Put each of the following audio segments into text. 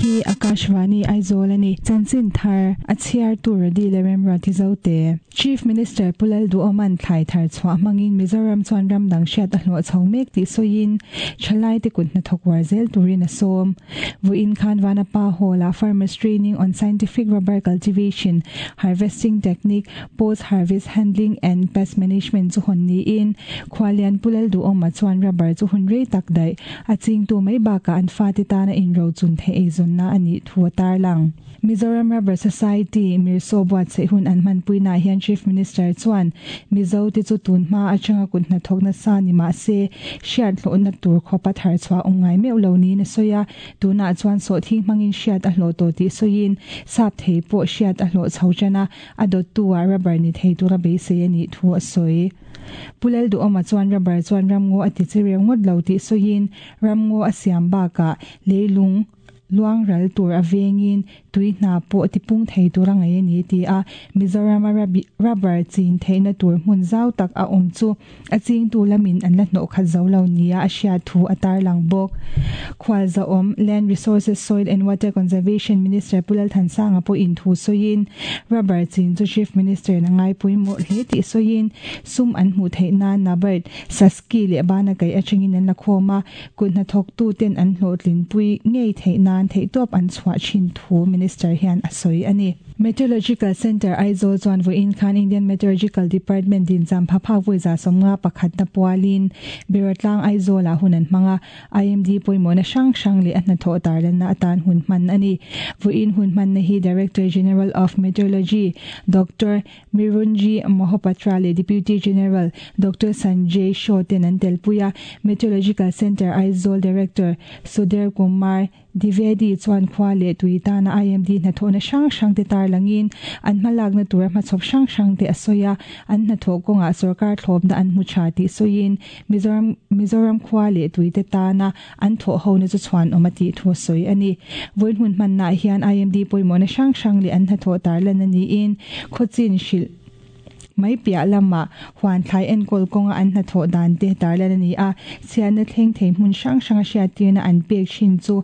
hi Akashvani Aizawl a ni. Chanchin thar a chhiartu Radi leh Remruati Zote. Chief Minister Pu Lalduhawma'n thlai thar chhuah hmangin Mizoram chuan ram dang hriat a hlawh chho mek tih sawiin thalaite kut hnathawk uar zel turin a sawm. Vawiin khan Vanapa Hall-ah Farmers Training on Scientific Rubber Cultivation, Harvesting Technique, Post Harvest Handling and Pest Management chu hawn niin Khualian Pu Lalduhawma chuan rubber chu hun rei tak daih a chingtu mai bakah an fate tana inrochun theih eizawnna a nih thu a tarlang. Mizoram Rubber Society, Mirsaw buatsaih hun an hmanpuinaah hian Chief Minister chuan Mizo te chu tun hma atanga kut hnathawk nasa ni mah se hriat hlawhna tur khawpa thar chhuah awm ngai meuh lo niin a sawi a, tunah chuan sawhthing hmangin hriat a hlawh tawh tih sawiin sap thei pawh hriat a hlawh chho tan a, a dawttu ah rubber ni thei tura beisei a nih thu a sawi. Pu Lalduhawma chuan rubber chuan ramngaw a ti che reu ngawt lo tih sawiin ramngaw a siam bakah leilung luang ral tur a vengin tui hna pawh tipung thei tur a ngaih a ni ti a, Mizorama rubber chin theihna tur hmun zau tak a awm chu A chingtu lamin an la hnawh khat zo lo nia a hriat thu a tarlang bawk. Khualzawm, Land Resources, Soil and Water Conservation Minister Pu Lalthansanga pawhin thu sawiin, rubber chin chu Chief Minister in a ngaipawimawh hle tih sawiin, sum an hmuh theih nan Nabard, Saski leh Bana kaih atangin an la khawm a, kut hnathawktu ten an hlawhtlinpui ngei theih nan theihtawp an chhuah thin thu Minister hian a sawi a ni. Meteorological Centre Aizawl chuan vawiin khan Indian Meteorological Department dincham pha phak vawi 150 pakhatna pualin Beratlang Aizawlah hun an hmang a, IMD pawimawhna hrang hrang leh a hnathawh tarlanna atan hun hman a ni. Vawiin hun hmanna hi Director General of Meteorology Doctor Mirunji Mohapatra leh Deputy General Doctor Sanjay Shaw ten an telpui a, Meteorological Centre Aizawl Director Sudhir Kumar Dwivedi chuan khua leh tui tana IMD hnathawhna hrang hrang te tarlangin an hmalakna tura hmachhawp hrang hrang te a sawi a, an hnathawh kawngah sorkar thlawpna an hmu tha tih sawiin Mizoram Mizoram khua leh tui te tana an thawh hona chu chhuanawm a tih thu a sawi a ni. Vawiin hmun hmannaah hian IMD pawimawhna hrang hrang leh an hnathawh tarlan a niin khawchin hrilh Mai piah lamah huan thlai enkawl kawnga an hnathawh dan te tarlan a ni a, chhiatna thleng thei hmun hrang hranga hriattirna an pek thin chu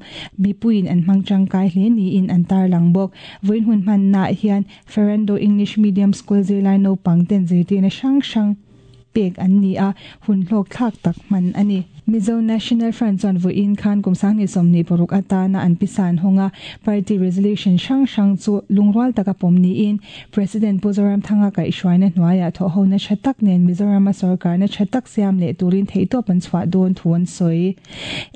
mipuiin an hmang tangkai hle niin an tarlang bawk. Vawiin hun hmannaah hian Ferrando English Medium School zirlai naupang ten zirtirna hrang hrang pek an ni a, hun hlawk thlak tak hman a ni. Mizo National Front chuan vawiin khan kum 2026 atana an pisa an hawng a, party resolution hrang hrang chu lungrual taka pawm niin President Pu Zoramthanga kaihhruaina hnuaiah thawhhona tha tak nen Mizorama sorkarna tha tak siam leh turin theihtawp an chhuah dawn thu an sawi.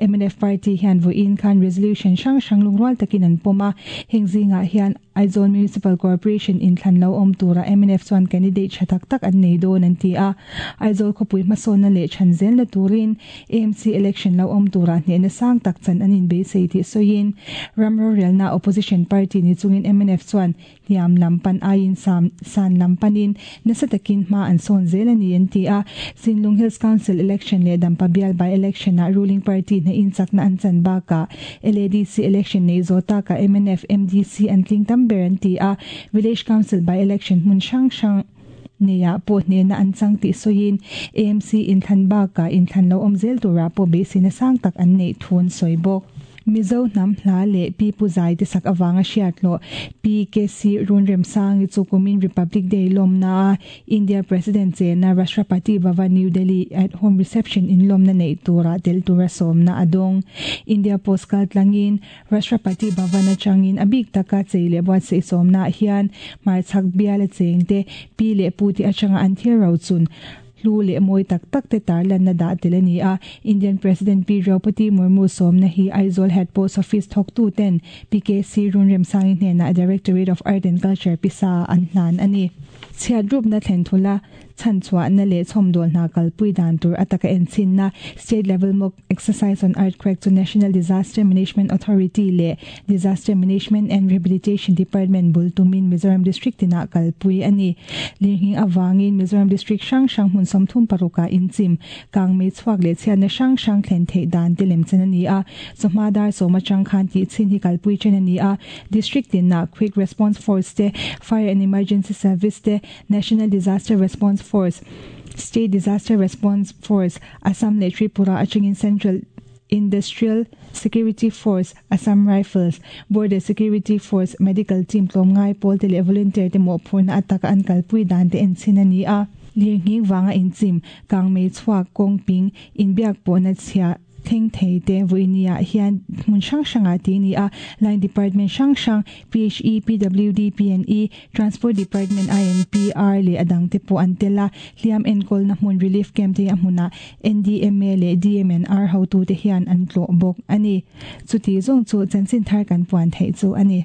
Mnf party hian vawiin khan resolution hrang hrang lungrual takin an pawm a, heng zingah hian Aizawl Municipal Corporation inthlan lo awm turah mnf chuan candidate tha tak tak an nei dawn an ti a. Aizawl khawpui hmasawnna leh chhan zelna turin AMC election lo awm turah hnehna sang tak chan an inbeisei tih sawiin ram rorelna opposition party ni chungin mnf chuan hniam lam pan aiin san lam panin nasa takin hma an sawn zel a ni an ti a. Sinlung Hills Council election leh Dampa bial by election ah ruling party hnahin chakna an chan bakah LADC election nei zawh takah mnf, MDC an tling tam ber an ti a, Village Council by election hmun hrang hrang neiah pawh hnehna an chang tih sawiin AMC inthlan bakah inthlan lo awm zel turah pawh beiseina sang tak an neih thu an sawi bawk. Mizo hnam hla leh Pi Pu Zai te sak avanga hriat hlawh Pi KC Runremsangi chu kumin Republic Day lawmna a India President chena Rashtrapati Bhavan New Delhi at home reception inlawmna neih turah tel tura sawmna a dawng. India Post kal tlangin Rashtrapati Bhavan atangin a bik taka chei leh buatsaih sawmnaah hian hmarchhak biala chengte pi leh pu te atanga an thil rochun hlu leh mawi tak tak te tarlanna dah tel a ni a. Indian President Pi Draupadi Murmu sawmna hi Aizawl Head Post Office thawktu ten PKC Runremsangi hnenah Directorate of Art and Culture pisa an hlan a ni. Chhiat rupna thlen thula chhanchhuahna leh chhawmdawl hna kalpui dan tur a taka enchinna State Level Mock Exercise on Earthquake chu National Disaster Management Authority leh Disaster Management and Rehabilitation Department bul tumin Mizoram District tinah kalpui a ni. Lirnghing avangin Mizoram District hrang hrang hmun 36 ah inchim, kangmei chhuak leh chhiatna hrang hrang thlen theih dan te lemchan a ni a. Chawhma dar sawm atang khan tihchhin hi kalpui then a ni a. District tinah Quick Response Force te, Fire and Emergency Service te, National Disaster Response Force, State Disaster Response Force, Assam leh Tripura atangin Central Industrial Security Force, Assam Rifles, Border Security Force, Medical Team tlawmngai pawl te leh volunteer te mawhphurhna ataka an kalpui dan te enchhin a ni a. Lirnghing vanga inchim, kangmei chhuak, kawngping, inbiak pawhna chhia thleng thei te vawinia hian hmun hrang hrangah tih a ni a. Line Department hrang hrang, PHE, PWD, PNE, Transport Department, INPR leh a dangte pawh an tel a. Hliam enkawlna hmun Relief Camp te hi a hmunah NDMA leh DMNR hotute hian an tlawh bawk a ni. Chuti zawng chu chanchin thar kan puan theih chu a ni.